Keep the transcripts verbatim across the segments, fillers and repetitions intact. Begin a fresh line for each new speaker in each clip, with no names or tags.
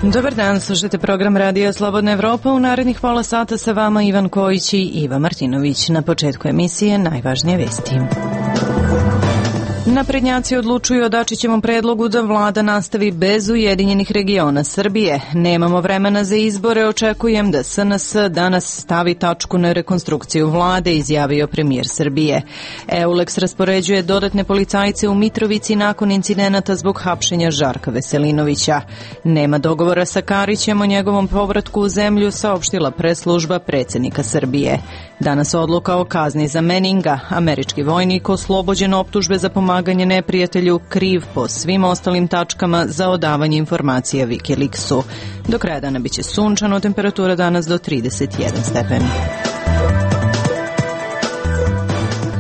Dobar dan, slušajte program Radija Slobodna Evropa. U narednih pola sata sa vama Ivan Kojić i Iva Martinović. Na početku emisije najvažnije vesti. Naprednjaci odlučuju o Dačićevom predlogu da vlada nastavi bez Ujedinjenih regiona Srbije. Nemamo vremena za izbore, očekujem da S N S danas stavi tačku na rekonstrukciju vlade, izjavio premijer Srbije. Eulex raspoređuje dodatne policajce u Mitrovici nakon incidenata zbog hapšenja Žarka Veselinovića. Nema dogovora sa Karićem o njegovom povratku u zemlju, saopštila preslužba predsjednika Srbije. Danas odluka o kazni za Meninga. Američki vojnik oslobođen optužbe za pomaganje neprijatelju, kriv po svim ostalim tačkama za odavanje informacija Wikileaksu. Do kraja dana biće sunčano, temperatura danas do trideset jedan stepen.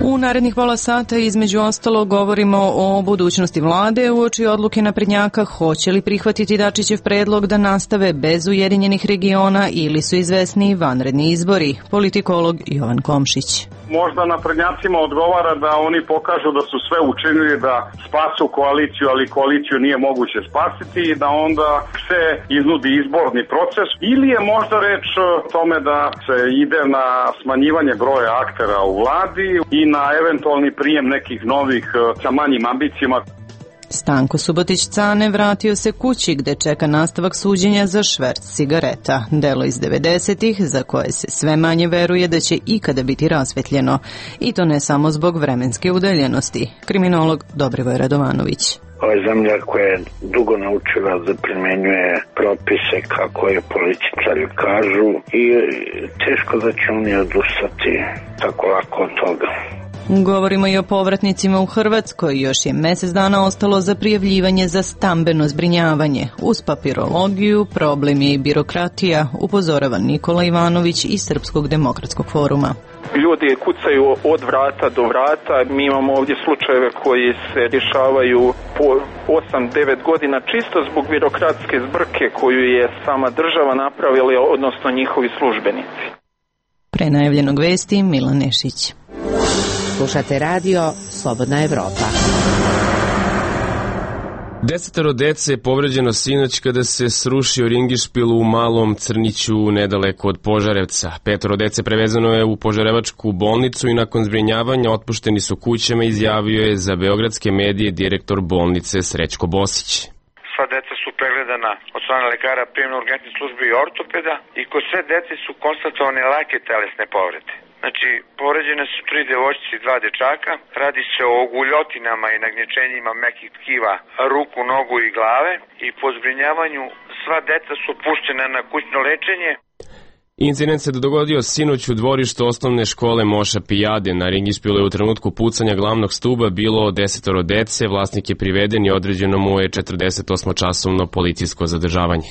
U narednih pola sata između ostalo govorimo o budućnosti vlade uoči odluke naprednjaka, hoće li prihvatiti Dačićev predlog da nastave bez Ujedinjenih regiona ili su izvesni vanredni izbori. Politikolog Jovan Komšić.
Možda naprednjacima odgovara da oni pokažu da su sve učinili da spasu koaliciju, ali koaliciju nije moguće spasiti i da onda se iznudi izborni proces. Ili je možda reč o tome da se ide na smanjivanje broja aktera u vladi i na eventualni prijem nekih novih sa manjim ambicijama.
Stanko Subotić-Cane vratio se kući gde čeka nastavak suđenja za šverc cigareta. Delo iz devedesetih za koje se sve manje veruje da će ikada biti rasvetljeno. I to ne samo zbog vremenske udaljenosti. Kriminolog Dobrivoj Radovanović.
Ova zemlja koja je dugo naučila da primjenjuje propise kako je političari kažu i teško da će oni odustati tako lako od toga.
Govorimo i o povratnicima u Hrvatskoj. Još je mjesec dana ostalo za prijavljivanje za stambeno zbrinjavanje. Uz papirologiju, problem je i birokratija, upozorava Nikola Ivanović iz Srpskog demokratskog foruma.
Ljudi kucaju od vrata do vrata. Mi imamo ovdje slučajeve koji se rješavaju po osam devet godina čisto zbog birokratske zbrke koju je sama država napravila, odnosno njihovi službenici.
Pre najavljenog vesti Milan Nešić.
Slušate radio Slobodna Evropa.
Desetoro dece je povređeno sinoć kada se srušio ringišpil u Malom Crniću nedaleko od Požarevca. Petoro dece prevezano je u Požarevačku bolnicu i nakon zbrinjavanja otpušteni su kućama, izjavio je za beogradske medije direktor bolnice Srećko Bosić.
Sva deca su pregledana od strane lekara prijemno-urgentne službe i ortopeda i kod sve dece su konstatovane lake telesne povrede. Znači, povređene su tri devojčice i dva dečaka. Radi se o guljotinama i nagnječenjima mekih tkiva ruku, nogu i glave. I po zbrinjavanju sva deca su puštena na kućno lečenje.
Incident se dogodio sinoć u dvorištu osnovne škole Moša Pijade. Na ringišpilu je u trenutku pucanja glavnog stuba bilo desetoro dece. Vlasnik je priveden i određeno mu je četrdesetosmočasovno policijsko zadržavanje.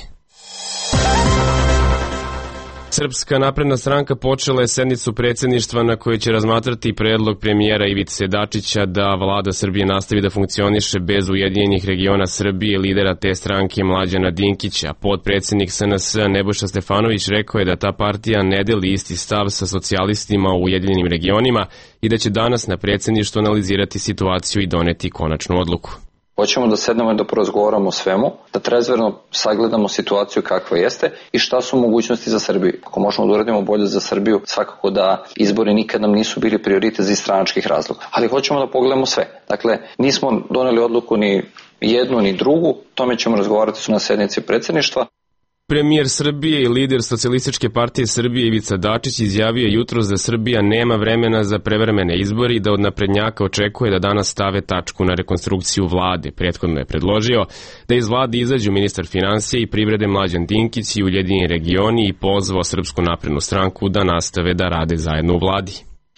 Srpska napredna stranka počela je sednicu predsjedništva na kojoj će razmatrati predlog premijera Ivice Dačića da vlada Srbije nastavi da funkcioniše bez Ujedinjenih regiona Srbije. Lidera te stranke Mlađana Dinkića, potpredsjednik S N S Nebojša Stefanović rekao je da ta partija ne deli isti stav sa socijalistima u Ujedinjenim regionima i da će danas na predsjedništvu analizirati situaciju i doneti konačnu odluku.
Hoćemo da sednemo i da porazgovaramo o svemu, da trezverno sagledamo situaciju kakva jeste i šta su mogućnosti za Srbiju. Ako možemo da uradimo bolje za Srbiju, svakako da izbori nikad nam nisu bili prioritet iz stranačkih razloga. Ali hoćemo da pogledamo sve. Dakle, nismo doneli odluku ni jednu ni drugu, tome ćemo razgovarati na sednici predsjedništva.
Premijer Srbije i lider Socijalističke partije Srbije Ivica Dačić izjavio jutros da Srbija nema vremena za prevremene izbore i da od naprednjaka očekuje da danas stave tačku na rekonstrukciju vlade. Prethodno je predložio da iz vlade izađu ministar finansija i privrede Mlađan Dinkić i Ujedinjeni regioni i pozvao Srpsku naprednu stranku da nastave da rade zajedno u vladi.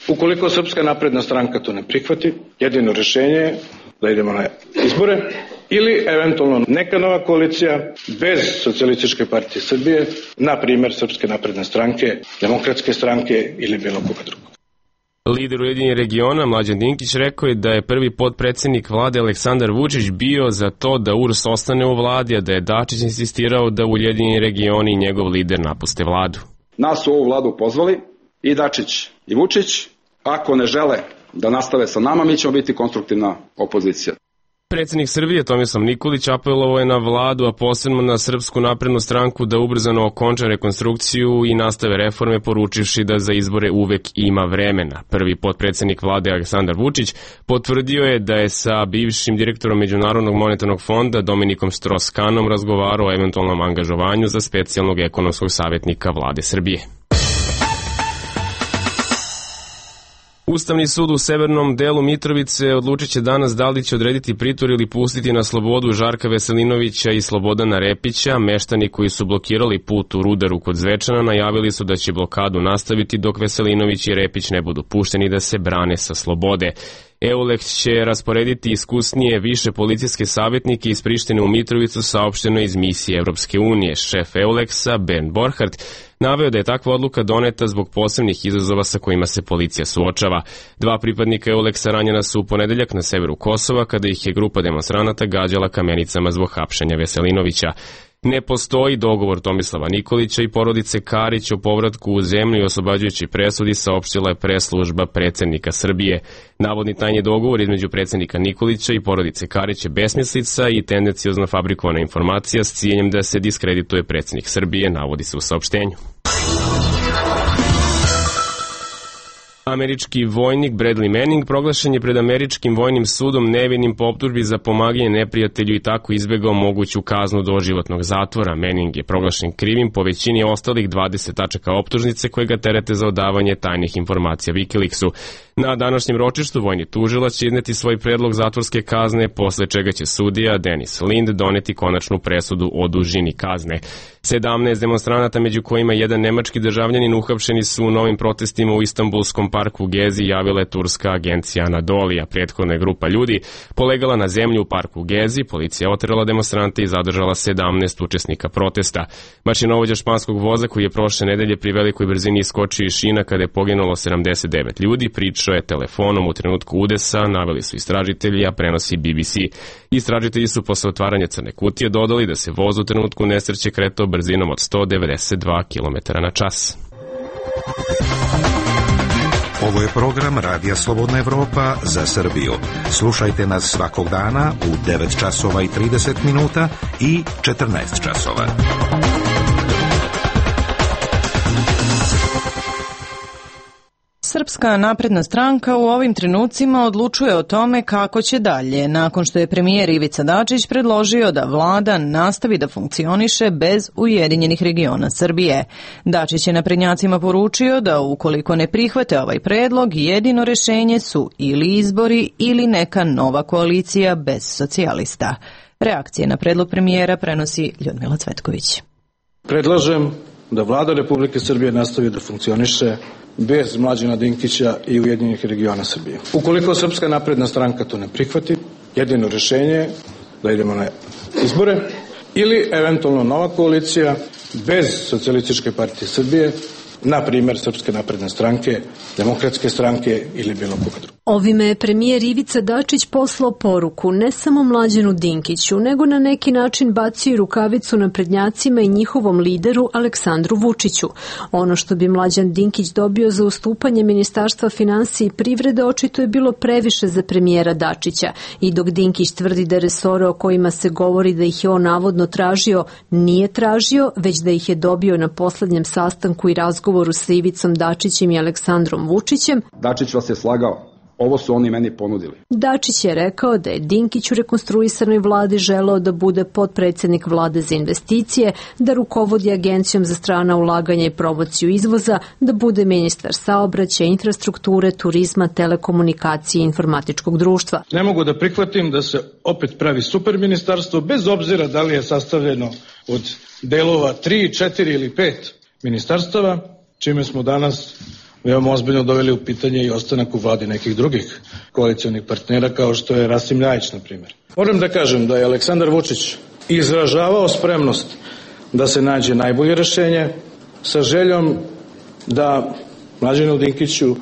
Ukoliko Srpska napredna stranka to ne prihvati, jedino rješenje je da idemo na izbore ili eventualno neka nova koalicija bez Socijalističke partije Srbije, na primjer Srpske napredne stranke, Demokratske stranke ili bilo koga drugog.
Lider Ujedinjenih regiona Mlađan Dinkić rekao je da je prvi potpredsjednik vlade Aleksandar Vučić bio za to da U R S ostane u vladi, a da je Dačić insistirao da Ujedinjeni regioni i njegov lider napuste vladu.
Nas su ovu vladu pozvali i Dačić i Vučić. Ako ne žele da nastave sa nama, mi ćemo biti konstruktivna opozicija.
Predsjednik Srbije Tomislav Nikolić apelovao je na vladu, a posebno na Srpsku naprednu stranku da ubrzano okonča rekonstrukciju i nastave reforme, poručivši da za izbore uvek ima vremena. Prvi potpredsjednik vlade Aleksandar Vučić potvrdio je da je sa bivšim direktorom Međunarodnog monetarnog fonda Dominikom Strauss-Kahnom razgovarao o eventualnom angažovanju za specijalnog ekonomskog savjetnika vlade Srbije. Ustavni sud u severnom delu Mitrovice odlučit će danas da li će odrediti pritvor ili pustiti na slobodu Žarka Veselinovića i Slobodana Repića. Meštani koji su blokirali put u Rudaru kod Zvečana najavili su da će blokadu nastaviti dok Veselinović i Repić ne budu pušteni da se brane sa slobode. EULEX će rasporediti iskusnije više policijske savjetnike iz Prištine u Mitrovicu, saopšteno iz misije Evropske unije. Šef EULEX-a Bernd Borchardt naveo da je takva odluka doneta zbog posebnih izazova sa kojima se policija suočava. Dva pripadnika EULEX-a ranjena su u ponedeljak na severu Kosova kada ih je grupa demonstranata gađala kamenicama zbog hapšenja Veselinovića. Ne postoji dogovor Tomislava Nikolića i porodice Karić o povratku u zemlju i oslobađajući presudi, saopštila je preslužba predsjednika Srbije. Navodni tajni dogovor između predsjednika Nikolića i porodice Karić je besmislica i tendenciozno fabrikovana informacija s ciljem da se diskredituje predsjednik Srbije, navodi se u saopštenju. Američki vojnik Bradley Manning proglašen je pred američkim vojnim sudom nevinim po optužbi za pomaganje neprijatelju i tako izbegao moguću kaznu doživotnog zatvora. Manning je proglašen krivim po većini ostalih dvadeset tačaka optužnice koje ga terete za odavanje tajnih informacija Wikileaksu. Na današnjem ročištu vojni tužilac će izneti svoj predlog zatvorske kazne, posle čega će sudija Dennis Lind doneti konačnu presudu o dužini kazne. sedamnaest demonstranata, među kojima jedan nemački državljanin, uhapšeni su u novim protestima u Istanbulskom parku Gezi, javila je turska agencija Anadolija. Prethodna je grupa ljudi polegala na zemlju u parku Gezi, policija oterala demonstrante i zadržala sedamnaest učesnika protesta. Mašinovođa španskog voza koji je prošle nedelje pri velikoj brzini iskočio iz šina kada je poginulo sedamdeset devet ljudi, pričao je telefonom u trenutku udesa, naveli su istražitelji, a prenosi B B C. Istražitelji su posle otvaranja crne kutije dodali da se voz u trenutku nesreće kretao brzinom od sto devedeset dva kilometara na čas.
Ovo je program Radija Slobodna Evropa za Srbiju. Slušajte nas svakog dana u devet časova i trideset minuta i četrnaest časova.
Srpska napredna stranka u ovim trenucima odlučuje o tome kako će dalje, nakon što je premijer Ivica Dačić predložio da vlada nastavi da funkcioniše bez Ujedinjenih regiona Srbije. Dačić je naprednjacima poručio da ukoliko ne prihvate ovaj predlog, jedino rešenje su ili izbori ili neka nova koalicija bez socijalista. Reakcije na predlog premijera prenosi Ljudmila Cvetković.
Predlažem da vlada Republike Srbije nastavi da funkcioniše bez Mlađana Dinkića i Ujedinjenih regiona Srbije. Ukoliko Srpska napredna stranka to ne prihvati, jedino rešenje je da idemo na izbore ili eventualno nova koalicija bez Socijalističke partije Srbije, na primjer Srpske napredne stranke, Demokratske stranke ili bilo koga druga.
Ovime je premijer Ivica Dačić poslao poruku ne samo Mlađanu Dinkiću, nego na neki način bacio i rukavicu naprednjacima i njihovom lideru Aleksandru Vučiću. Ono što bi Mlađan Dinkić dobio za ustupanje Ministarstva finansija i privrede očito je bilo previše za premijera Dačića. I dok Dinkić tvrdi da resore o kojima se govori da ih je on navodno tražio, nije tražio, već da ih je dobio na poslednjem sastanku i razgovoru sa Ivicom Dačićem i Aleksandrom Vučićem.
Dačić vas je slagao. Ovo su oni meni ponudili.
Dačić je rekao da je Dinkić u rekonstruisanoj vladi želeo da bude potpredsjednik vlade za investicije, da rukovodi agencijom za strana ulaganja i promociju izvoza, da bude ministar saobraćaja, infrastrukture, turizma, telekomunikacije i informatičkog društva.
Ne mogu da prihvatim da se opet pravi super ministarstvo, bez obzira da li je sastavljeno od delova tri, četiri ili pet ministarstava, čime smo danas veoma ozbiljno doveli u pitanje i ostanak u vladi nekih drugih koalicionih partnera, kao što je Rasim Ljajić, na primjer. Moram da kažem da je Aleksandar Vučić izražavao spremnost da se nađe najbolje rešenje sa željom da Mlađanu Dinkiću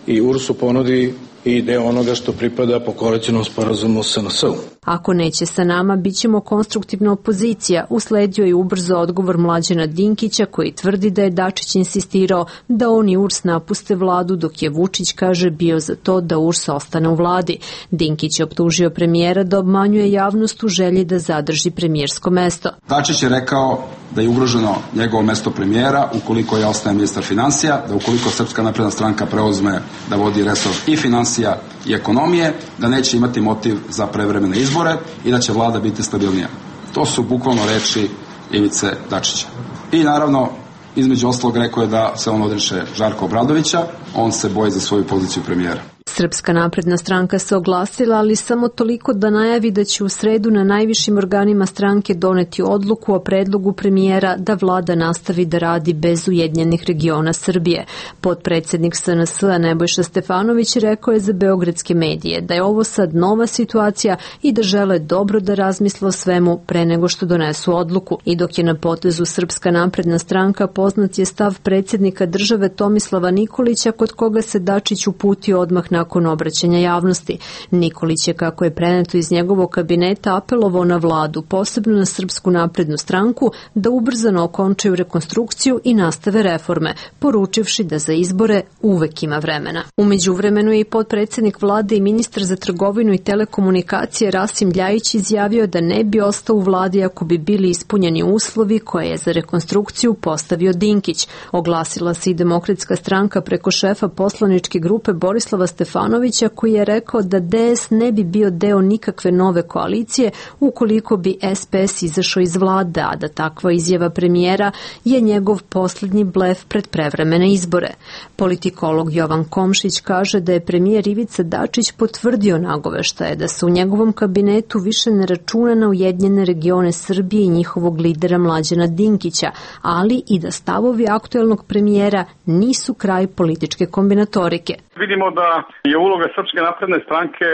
i U R S-u ponudi i deo onoga što pripada po koalicionom sporazumu S N S-u.
Ako neće sa nama, bit ćemo konstruktivna opozicija, usledio je ubrzo odgovor Mlađana Dinkića koji tvrdi da je Dačić insistirao da on i U R S napuste vladu, dok je Vučić, kaže, bio za to da U R S ostane u vladi. Dinkić je optužio premijera da obmanjuje javnost u želji da zadrži premijersko mesto.
Dačić je rekao da je ugroženo njegovo mesto premijera ukoliko je ostaje ministar finansija, da ukoliko Srpska napredna stranka preuzme da vodi resor i finansija i ekonomije, da neće imati motiv za prevremene izbore i da će vlada biti stabilnija. To su bukvalno reči Ivice Dačića. I naravno, između ostalog rekao je da se on odriče Žarka Obradovića, on se boji za svoju poziciju premijera.
Srpska napredna stranka se oglasila, ali samo toliko da najavi da će u sredu na najvišim organima stranke doneti odluku o predlogu premijera da vlada nastavi da radi bez Ujedinjenih regiona Srbije. Potpredsednik S N S-a Nebojša Stefanović rekao je za beogradske medije da je ovo sad nova situacija i da žele dobro da razmisle o svemu pre nego što donesu odluku. I dok je na potezu Srpska napredna stranka, poznat je stav predsjednika države Tomislava Nikolića, kod koga se Dačić uputio odmah na nakon obraćanja javnosti. Nikolić je, kako je preneto iz njegovog kabineta, apelovao na vladu, posebno na Srpsku naprednu stranku, da ubrzano okončaju rekonstrukciju i nastave reforme, poručivši da za izbore uvek ima vremena. U međuvremenu je i potpredsednik vlade i ministar za trgovinu i telekomunikacije Rasim Ljajić izjavio da ne bi ostao u vladi ako bi bili ispunjeni uslovi koje je za rekonstrukciju postavio Dinkić. Oglasila se i Demokratska stranka preko šefa poslaničke grupe Borislava Stefanovića, koji je rekao da D S ne bi bio deo nikakve nove koalicije ukoliko bi S P S izašao iz vlade, a da takva izjava premijera je njegov poslednji blef pred prevremene izbore. Politikolog Jovan Komšić kaže da je premijer Ivica Dačić potvrdio nagoveštaje da se u njegovom kabinetu više ne računa na Ujedinjene regione Srbije i njihovog lidera Mlađana Dinkića, ali i da stavovi aktuelnog premijera nisu kraj političke kombinatorike.
Vidimo da je uloga Srpske napredne stranke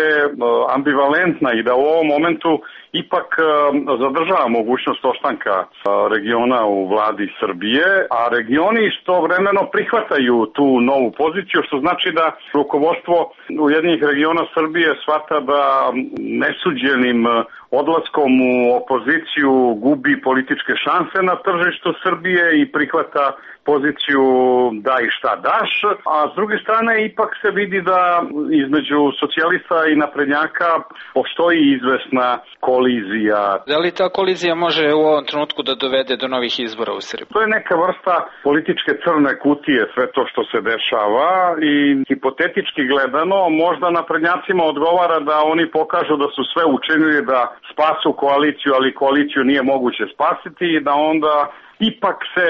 ambivalentna i da u ovom momentu ipak zadržava mogućnost ostanka regiona u vladi Srbije, a regioni istovremeno prihvataju tu novu poziciju, što znači da rukovodstvo Ujedinjenih regiona Srbije shvata da nesuđenim odlaskom u opoziciju gubi političke šanse na tržištu Srbije i prihvata poziciju da i šta daš, a s druge strane ipak se vidi da između socijalista i naprednjaka postoji izvesna kolizija.
Da li ta kolizija može u ovom trenutku da dovede do novih izbora u Srbiji?
To je neka vrsta političke crne kutije, sve to što se dešava, i hipotetički gledano možda naprednjacima odgovara da oni pokažu da su sve učinili da spasu koaliciju, ali koaliciju nije moguće spasiti i da onda ipak se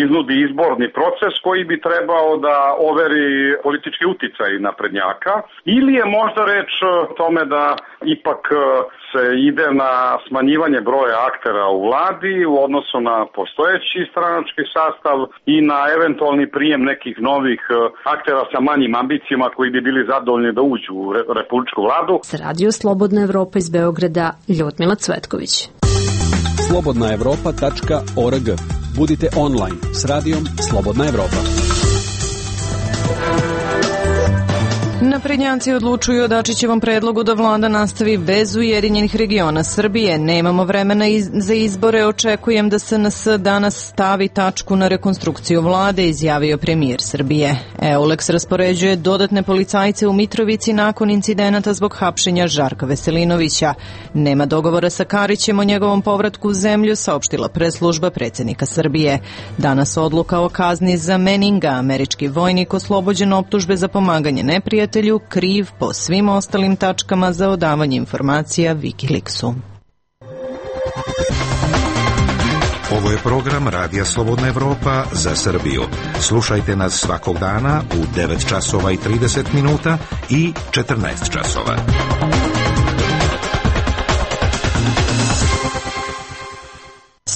iznudi izborni proces koji bi trebao da overi politički uticaj naprednjaka, ili je možda reč o tome da ipak se ide na smanjivanje broja aktera u vladi u odnosu na postojeći stranački sastav i na eventualni prijem nekih novih aktera sa manjim ambicijama koji bi bili zadovoljni da uđu u republičku vladu.
Za Radio Slobodna Evropa iz Beograda, Ljudmila Cvetković.
slobodna evropa tačka org. Budite online s radijom Slobodna Evropa.
Naprednjaci odlučuju o Dačićevom predlogu da vlada nastavi bez Ujedinjenih regiona Srbije. Nemamo vremena iz, za izbore, očekujem da S N S danas stavi tačku na rekonstrukciju vlade, izjavio premijer Srbije. Euleks raspoređuje dodatne policajce u Mitrovici nakon incidenata zbog hapšenja Žarka Veselinovića. Nema dogovora sa Karićem o njegovom povratku u zemlju, saopštila preslužba predsjednika Srbije. Danas odluka o kazni za Meninga, američki vojnik oslobođen optužbe za pomaganje neprijatelju, kriv po svim ostalim tačkama za odavanje informacija Wikileaksu.
Ovo je program Radija Slobodna Evropa za Srbiju. Slušajte nas svakog dana u devet časova i trideset minuta i četrnaest časova.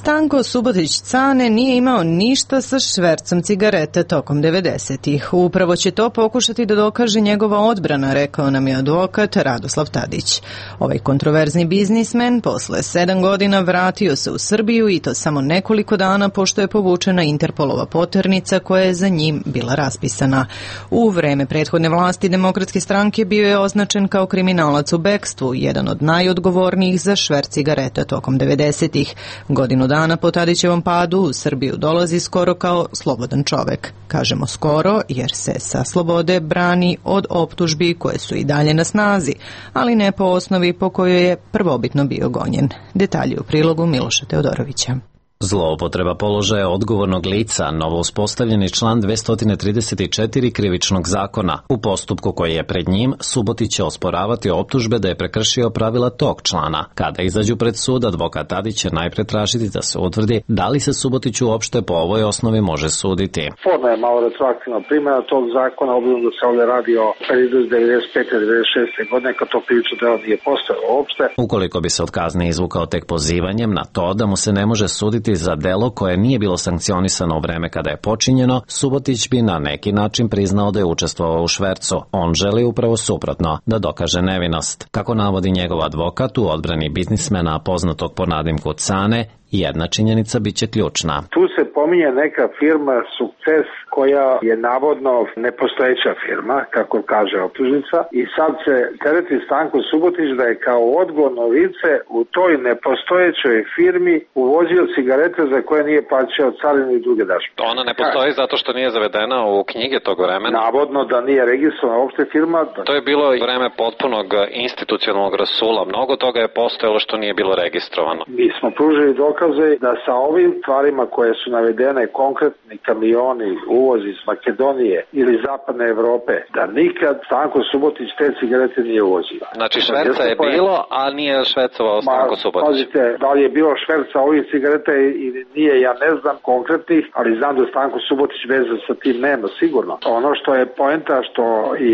Stanko Subotić Cane nije imao ništa sa švercom cigareta tokom devedesetih. Upravo će to pokušati da dokaže njegova odbrana, rekao nam je advokat Radoslav Tadić. Ovaj kontroverzni biznismen posle sedam godina vratio se u Srbiju i to samo nekoliko dana pošto je povučena Interpolova poternica koja je za njim bila raspisana. U vreme prethodne vlasti Demokratske stranke bio je označen kao kriminalac u bekstvu, jedan od najodgovornijih za šverc cigareta tokom devedesetih. Godinu dana po Tadićevom padu u Srbiju dolazi skoro kao slobodan čovek. Kažemo skoro jer se sa slobode brani od optužbi koje su i dalje na snazi, ali ne po osnovi po kojoj je prvobitno bio gonjen. Detalji u prilogu Miloša Teodorovića.
Zloupotreba položaja odgovornog lica, novo uspostavljeni član dvesta trideset četiri krivičnog zakona. U postupku koji je pred njim, Subotić će osporavati optužbe da je prekršio pravila tog člana. Kada izađu pred sud, advokat Tadić će najpre tražiti da se utvrdi da li se Subotiću uopšte po ovoj osnovi može suditi.
Forma je malo retroaktivna primjena tog zakona, obzirom da se ovdje radi o periodu devedeset pete do devedeset šeste godine, kad to krivično delo nije postojalo uopšte.
Ukoliko bi se od kazne izvukao tek pozivanjem na to da mu se ne može suditi za delo koje nije bilo sankcionisano u vreme kada je počinjeno, Subotić bi na neki način priznao da je učestvovao u švercu. On želi upravo suprotno, da dokaže nevinost. Kako navodi njegov advokat u odbrani biznismena poznatog po nadimku Cane, jedna činjenica biće ključna.
Tu se pominje neka firma Sukces koja je navodno nepostojeća firma, kako kaže optužnica, i sad se tereti Stanko Subotić da je kao odgovorno lice u toj nepostojećoj firmi uvozio cigarete za koje nije plaćao carinu i druge dažbe.
Ona ne postoji zato što nije zavedena u knjige tog vremena?
Navodno da nije registrovana uopšte firma.
To je bilo vreme potpunog institucionalnog rasula. Mnogo toga je postojalo što nije bilo registrovano.
Mi smo pružili dokaze da sa ovim stvarima koje su navedene, konkretni kamioni, uvoz iz Makedonije ili zapadne Evrope, da nikad Stanko Subotić te cigarete nije uvozio.
Znači šverca je bilo, a nije švercovao Stanko Subotić.
Pazite, da li je bilo šverca ovih cigareta ili nije, ja ne znam konkretnih, ali znam da Stanko Subotić veze sa tim nema, sigurno. Ono što je poenta, što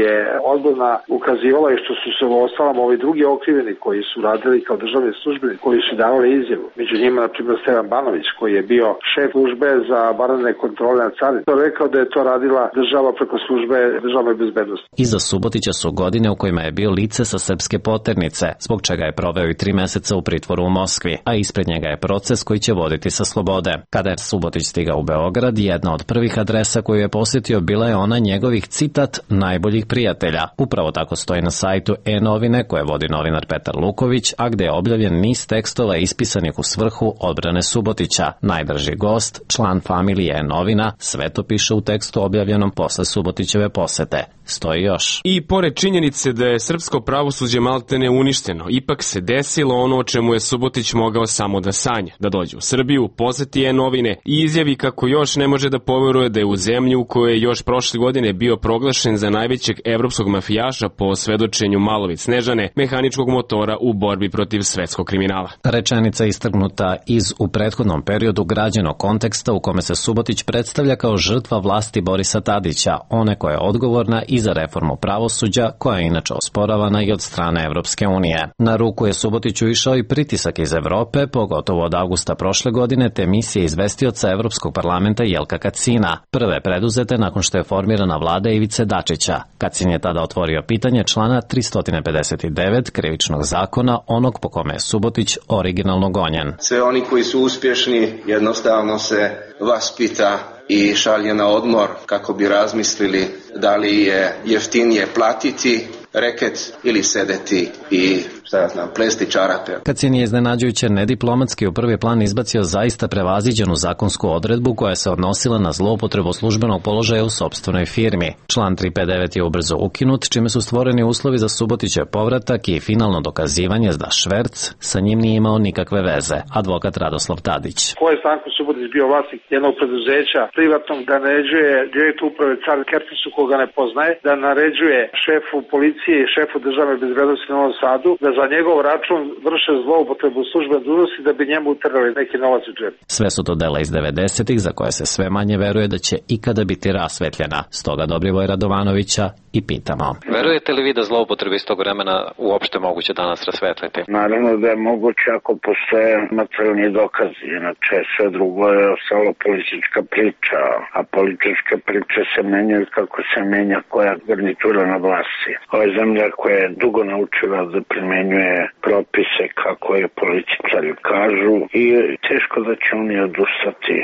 je odborna ukazivala i što su se u ostalom ovi drugi okriveni koji su radili kao državni službeni, koji su davali izjavu. Među njima, na primjer, Stevan Banović, koji je bio šef službe za vanredne kontrole na carini. To je rekao da je to radila država preko službe državne bezbednosti.
Iza Subotića su godine u kojima je bio lice sa srpske poternice, zbog čega je proveo i tri meseca u pritvoru u Moskvi, a ispred njega je proces koji će voditi sa slobode. Kada je Subotić stigao u Beograd, jedna od prvih adresa koju je posjetio bila je ona njegovih, citat, najboljih prijatelja. Upravo tako stoji na sajtu E-novine koje vodi novinar Petar Luković, a gde je objavljen niz tekstova ispisanih u svrhu odbrane Subotića. Najdrži gost, član familije E-novina, sve to piše u tekstu objavljenom posle Subotićeve posete. Stoji još.
I pored činjenice da je srpsko pravosuđe maltene uništeno, ipak se desilo ono o čemu je Subotić mogao samo da sanja, da dođe u Srbiju, poseti E-novine i izjavi kako još ne može da poveruje da je u zemlji u kojoj je još prošle godine bio proglašen za najvećeg evropskog mafijaša po svedočenju Malović Snežane, mehaničkog motora u borbi protiv svetskog kriminala.
Rečenica istrgnuta iz u prethodnom periodu građenog konteksta u kome se Subotić predstavlja kao žrtva vlasti Borisa Tadića, one koja je odgovorna i za reformu pravosuđa, koja je inače osporavana i od strane Evropske unije. Na ruku je Subotiću išao i pritisak iz Evrope, pogotovo od avgusta prošle godine, te misije izvestioca Evropskog parlamenta Jelka Kacina, prve preduzete nakon što je formirana vlada Ivice Dačića. Kacin je tada otvorio pitanje člana tristo pedeset devet krivičnog zakona, onog po kome je Subotić originalno gonjen.
Sve oni koji su uspješni jednostavno se vaspita i šalje na odmor kako bi razmislili da li je jeftinije platiti reket ili sedeti i šta ja znam, plesti čarape.
Kacin je iznenađujuće nediplomatski u prvi plan izbacio zaista prevaziđenu zakonsku odredbu koja se odnosila na zloupotrebu službenog položaja u sopstvenoj firmi. Član tristo pedeset devet je ubrzo ukinut, čime su stvoreni uslovi za Subotićev povratak i finalno dokazivanje da šverc sa njim nije imao nikakve veze. Advokat Radoslav Tadić.
Ko je Stanko Subotić bio vlasnik jednog preduzeća privatnog, da naređuje direktor uprave Car Kertisu, koga ne poznaje, da naređuje šefu policije i šefu državne bezbednosti u Novom Sadu da za njegov račun vrše zloupotrebu službene dužnosti da bi njemu utrgali neki novac u džep.
Sve su to dela iz devedesetih za koje se sve manje veruje da će ikada biti rasvetljena. Stoga Dobrivoja Radovanovića i pitamo.
Verujete li vi da zloupotrebe iz tog vremena uopšte moguće danas rasvetliti?
Naravno da je moguće ako postoje materijalni dokazi, inače sve drugo je ostalo politička priča, a političke priče se menjaju kako se menja koja garnitura na vlasti. Ova je zemlja koja je dugo naučila da primenjuje propise kako je političari kažu i teško da će oni odustati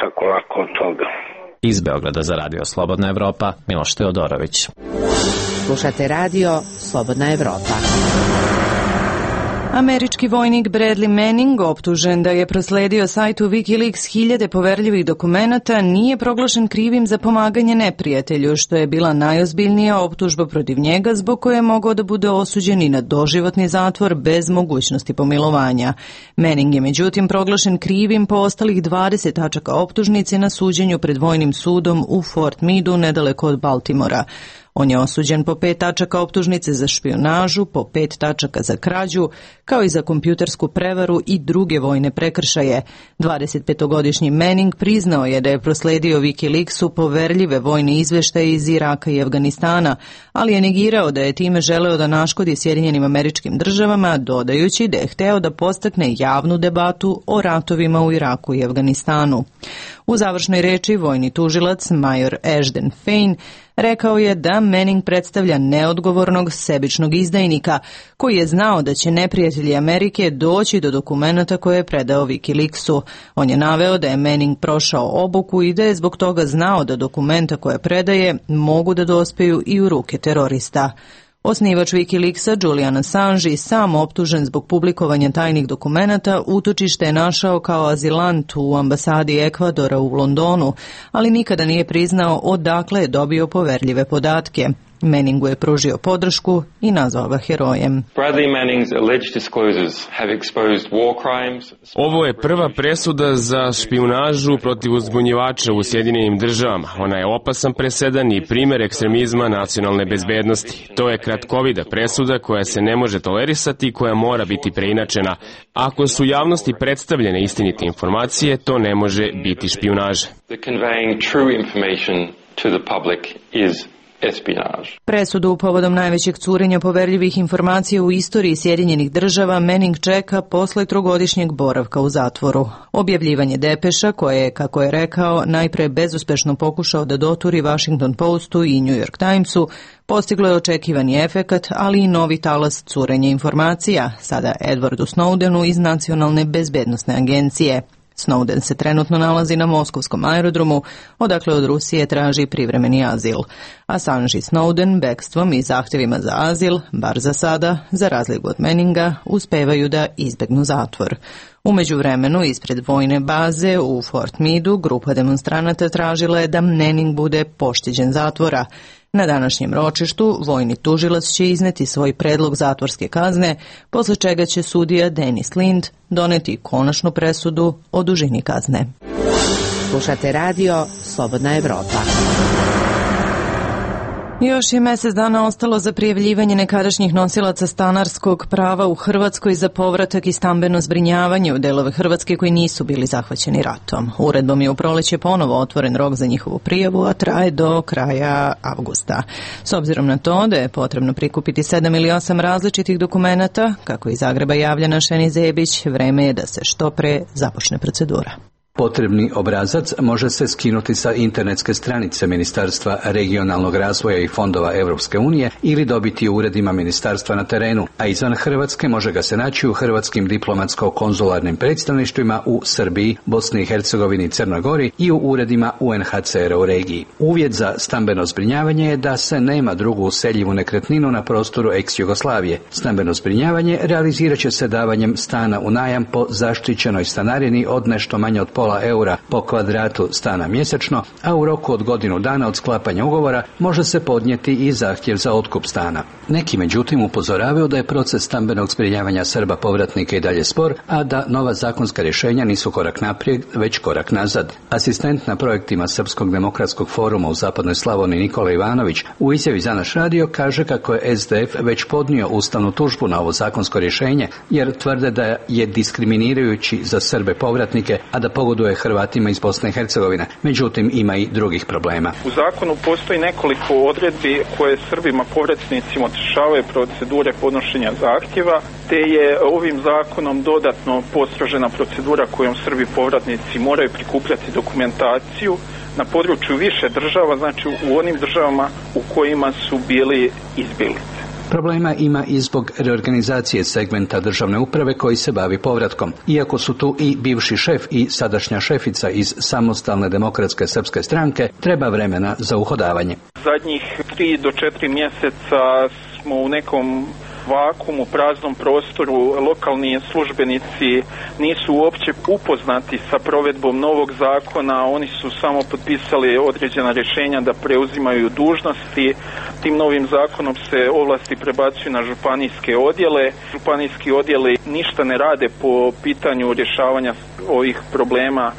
tako lako od toga.
Iz Beograda za Radio Slobodna Evropa, Miloš Teodorović.
Slušate radio Slobodna Evropa.
Američki vojnik Bradley Manning, optužen da je prosledio sajtu Wikileaks hiljade poverljivih dokumenata, nije proglašen krivim za pomaganje neprijatelju, što je bila najozbiljnija optužba protiv njega, zbog koje je mogao da bude osuđen i na doživotni zatvor bez mogućnosti pomilovanja. Manning je međutim proglašen krivim po ostalih dvadeset tačaka optužnice na suđenju pred vojnim sudom u Fort Meadu, nedaleko od Baltimora. On je osuđen po pet tačaka optužnice za špijunažu, po pet tačaka za krađu, kao i za kompjutersku prevaru i druge vojne prekršaje. dvadesetpetogodišnji Manning priznao je da je prosledio Wikileaksu poverljive vojne izveštaje iz Iraka i Afganistana, ali je negirao da je time želeo da naškodi Sjedinjenim Američkim Državama, dodajući da je hteo da podstakne javnu debatu o ratovima u Iraku i Afganistanu. U završnoj reči vojni tužilac major Ashton Fain rekao je da Manning predstavlja neodgovornog, sebičnog izdajnika koji je znao da će neprijatelji Amerike doći do dokumenata koje je predao Wikileaksu. On je naveo da je Manning prošao obuku i da je zbog toga znao da dokumenta koje predaje mogu da dospeju i u ruke terorista. Osnivač Wikileaksa, Julian Assange, sam optužen zbog publikovanja tajnih dokumenata, utočište je našao kao azilant u ambasadi Ekvadora u Londonu, ali nikada nije priznao odakle je dobio poverljive podatke. Manningu je pružio podršku i nazvao ga herojem.
Ovo je prva presuda za špijunažu protiv uzbunjivača u Sjedinjenim Državama. Ona je opasan presedan i primer ekstremizma nacionalne bezbednosti. To je kratkovida presuda koja se ne može tolerisati i koja mora biti preinačena. Ako su javnosti predstavljene istinite informacije, to ne može biti špijunaža.
Presudu povodom najvećeg curenja poverljivih informacija u istoriji Sjedinjenih Država Manning čeka posle trogodišnjeg boravka u zatvoru. Objavljivanje depeša, koje je, kako je rekao, najpre bezuspešno pokušao da doturi Washington Postu i New York Timesu, postiglo je očekivani efekat, ali i novi talas curenja informacija, sada Edwardu Snowdenu iz Nacionalne bezbednosne agencije. Snowden se trenutno nalazi na moskovskom aerodromu, odakle od Rusije traži privremeni azil. Assange i Snowden bekstvom i zahtjevima za azil, bar za sada, za razliku od Manninga, uspevaju da izbegnu zatvor. U međuvremenu, ispred vojne baze u Fort Meadu, grupa demonstranata tražila je da Manning bude pošteđen zatvora. Na današnjem ročištu vojni tužilac će izneti svoj predlog zatvorske kazne, posle čega će sudija Dennis Lind doneti konačnu presudu o dužini kazne.
Slušate radio Slobodna Evropa.
Još je mjesec dana ostalo za prijavljivanje nekadašnjih nosilaca stanarskog prava u Hrvatskoj za povratak i stambeno zbrinjavanje u delove Hrvatske koji nisu bili zahvaćeni ratom. Uredbom je u proleće ponovo otvoren rok za njihovu prijavu, a traje do kraja avgusta. S obzirom na to da je potrebno prikupiti sedam ili osam različitih dokumenata, kako iz Zagreba javlja naš Eni Zebić, vreme je da se što pre započne procedura.
Potrebni obrazac može se skinuti sa internetske stranice Ministarstva regionalnog razvoja i fondova Europske unije ili dobiti u uredima ministarstva na terenu, a izvan Hrvatske može ga se naći u hrvatskim diplomatsko-konzularnim predstavništvima u Srbiji, Bosni i Hercegovini i Crnoj Gori i u uredima U N H C R-a u regiji. Uvjet za stambeno zbrinjavanje je da se nema drugu useljivu nekretninu na prostoru ex-Jugoslavije. Stambeno zbrinjavanje realizirat će se davanjem stana u najam po zaštićenoj stanarini od nešto manje od pola eura po kvadratu stana mjesečno, a u roku od godinu dana od sklapanja ugovora može se podnijeti i zahtjev za otkup stana. Neki međutim upozoravaju da je proces stambenog zbrinjavanja Srba povratnika i dalje spor, a da nova zakonska rješenja nisu korak naprijed, već korak nazad. Asistent na projektima Srpskog demokratskog foruma u Zapadnoj Slavoniji Nikola Ivanović u izjavi za naš radio kaže kako je S D F već podnio ustavnu tužbu na ovo zakonsko rješenje, jer tvrde da je diskriminirajući za Srbe povratnike, a da pogoduje pogoduje Hrvatima iz Bosne i Hercegovine. Međutim, ima i drugih problema.
U zakonu postoji nekoliko odredbi koje Srbima povratnicima otežavaju procedure podnošenja zahtjeva, te je ovim zakonom dodatno postrožena procedura kojom Srbi povratnici moraju prikupljati dokumentaciju na području više država, znači u onim državama u kojima su bili izbjeglice.
Problema ima i zbog reorganizacije segmenta državne uprave koji se bavi povratkom. Iako su tu i bivši šef i sadašnja šefica iz Samostalne demokratske srpske stranke, treba vremena za uhodavanje.
Zadnjih tri do četiri mjeseca smo u nekom vakumu, praznom prostoru. Lokalni službenici nisu uopće upoznati sa provedbom novog zakona, oni su samo potpisali određena rješenja da preuzimaju dužnosti. Tim novim zakonom se ovlasti prebacuju na županijske odjele. Županijski odjeli ništa ne rade po pitanju rješavanja ovih problema.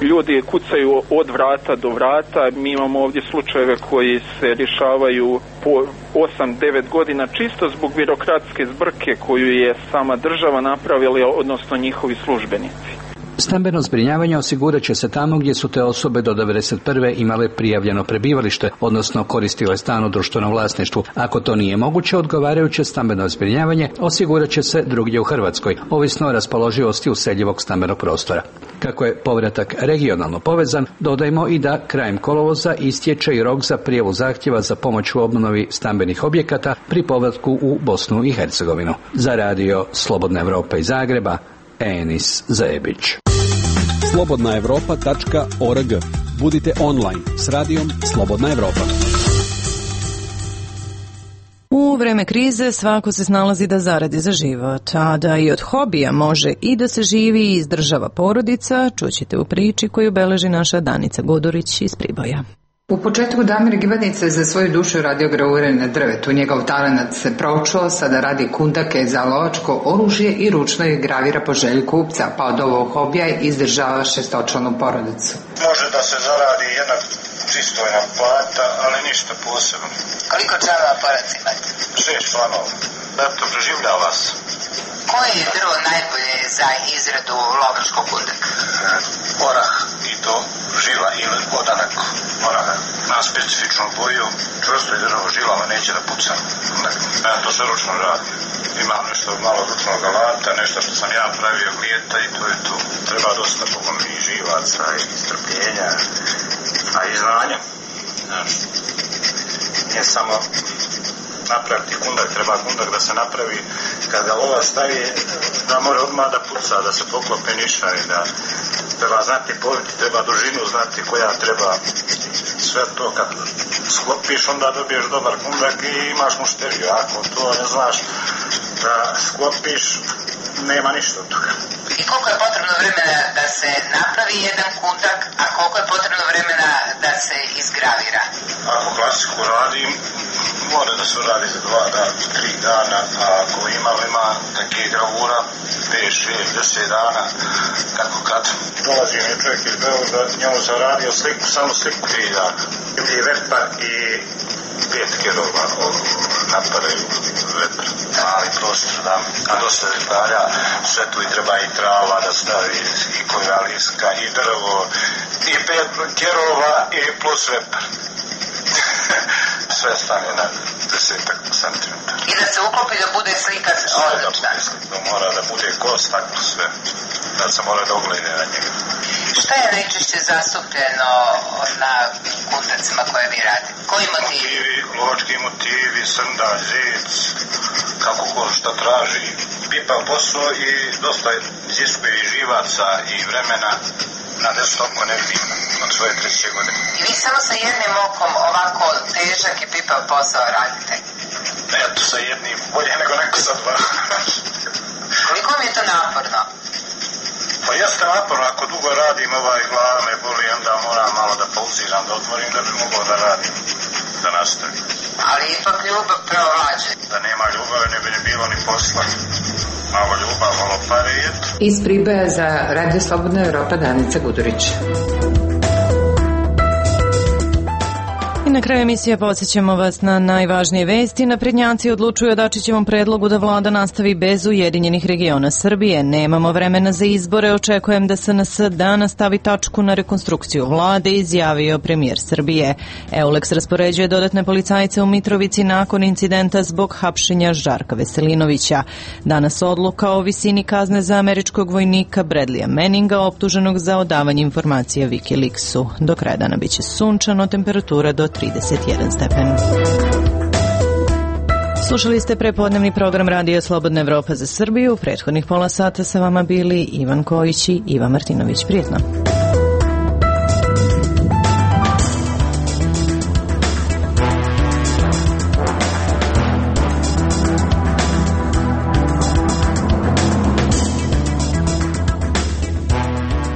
Ljudi kucaju od vrata do vrata. Mi imamo ovdje slučajeve koji se rješavaju po osam devet godina čisto zbog birokratske zbrke koju je sama država napravila, odnosno njihovi službenici.
Stambeno zbrinjavanje osigurat će se tamo gdje su te osobe do devedeset prve imale prijavljeno prebivalište, odnosno koristile stan u društvenom vlasništvu. Ako to nije moguće, odgovarajuće stambeno zbrinjavanje osigurat će se drugdje u Hrvatskoj, ovisno o raspoloživosti useljivog stambenog prostora. Kako je povratak regionalno povezan, dodajmo i da krajem kolovoza istječe i rok za prijavu zahtjeva za pomoć u obnovi stambenih objekata pri povratku u Bosnu i Hercegovinu. Za radio Slobodna Evropa iz Zagreba, Enis Zajebić.
slobodna evropa tačka org. Budite online s radijom Slobodna Evropa.
U vreme krize svako se snalazi da zaradi za život, a da i od hobija može i da se živi i izdržava porodica, čućete u priči koju beleži naša Danica Gudurić iz Priboja.
U početku Damir Gibadnica za svoju dušu radio graure na drvetu. Njegov talenat se proučio, sada radi kundake za lovačko oružje i ručno ih gravira po želji kupca, pa od ovog hobija izdržava šestočlanu porodicu.
Može da se zaradi jedna pristojna plata, ali ništa posebno.
Koliko članova porodice imate?
Šest članova. Eto, preživljava se.
Koje je drvo najbolje za izradu lovačkog kundaka?
Orah i to žila ili odanak. Orah na specifičnu boju, čvrsto je drvo žilama, neće da puca. Ja to se ručno radi. Imam nešto malo ručnog alata, nešto što sam ja pravio glijeta i to je to. Treba dosta pogom i živaca i strpljenja, a i znanja. Znači, nije samo napraviti kundak, treba kundak da se napravi kad ga lova stavi, da mora odmah da puca, da se poklope niša i da treba znati poviti, treba dužinu znati koja treba. Sve to kad sklopiš, onda dobiješ dobar kundak i imaš mušteriju. Ako to ne znaš da sklopiš, nema ništa od toga.
I koliko je potrebno vremena da se napravi jedan kundak, a koliko je potrebno vremena da se izgravira?
Ako klasiku radim, mora da se radi za dva dana, tri dana, a ako ima, ima takve gravura, pet, šest, deset dana, kako kad dolazi mi čovjek iz Beograda, njemu sam radio sliku, samo sliku tri dana. I vepar i pet kerova napadaju vepar. Mali prostor, da, a dosta detalja, sve tu i treba i trava da stavi, i koja liska, i drvo, i pet kerova, i plus vepar. Sve stane na desetak centimetara.
I da se uklopi da bude slika odlična.
Da mora da bude kost, tako sve. Da se mora da oglede na njega.
Šta je najčešće zastupljeno na kundacima koje vi radite? Koji motivi?
Motivi, lovački motivi, srndalj, zec, kako ko šta traži. Pipa posao i dosta iziskuje i živaca i vremena. Na deset oko ne vidim od svoje treće godine.
I vi samo sa jednim okom ovako težak i pipav posao radite?
Eto, sa jednim, bolje nego neko sa dva.
Koliko mi je to naporno?
Pa jeste naporno, ako dugo radim, ovaj glava me boli, onda moram malo da pauziram, da odmorim da bi mogao da radim, da nastavim.
Ali ipak ljubav preovlađe.
Da nema ljubave ne bi ne bilo ni posla. Malo ljubav, malo pare i eto.
Iz Priboja za Radio Slobodna Evropa, Danica Gudurić.
I Na kraju emisije podsjećamo vas na najvažnije vesti. Naprednjaci odlučuju o Dačićevom predlogu da vlada nastavi bez Ujedinjenih regiona Srbije. Nemamo vremena za izbore, očekujem da S N S danas stavi tačku na rekonstrukciju vlade, izjavio premijer Srbije. Euleks raspoređuje dodatne policajce u Mitrovici nakon incidenta zbog hapšenja Žarka Veselinovića. Danas odluka o visini kazne za američkog vojnika Bradleya Manninga, optuženog za odavanje informacija Wikileaksu. Do kraja dana biće sunčano, temperatura do trideset jedan stepen. Slušali ste prepodnevni program Radio Slobodna Evropa za Srbiju. U prethodnih pola sata sa vama bili Ivan Kojić i Ivan Martinović. Prijetno.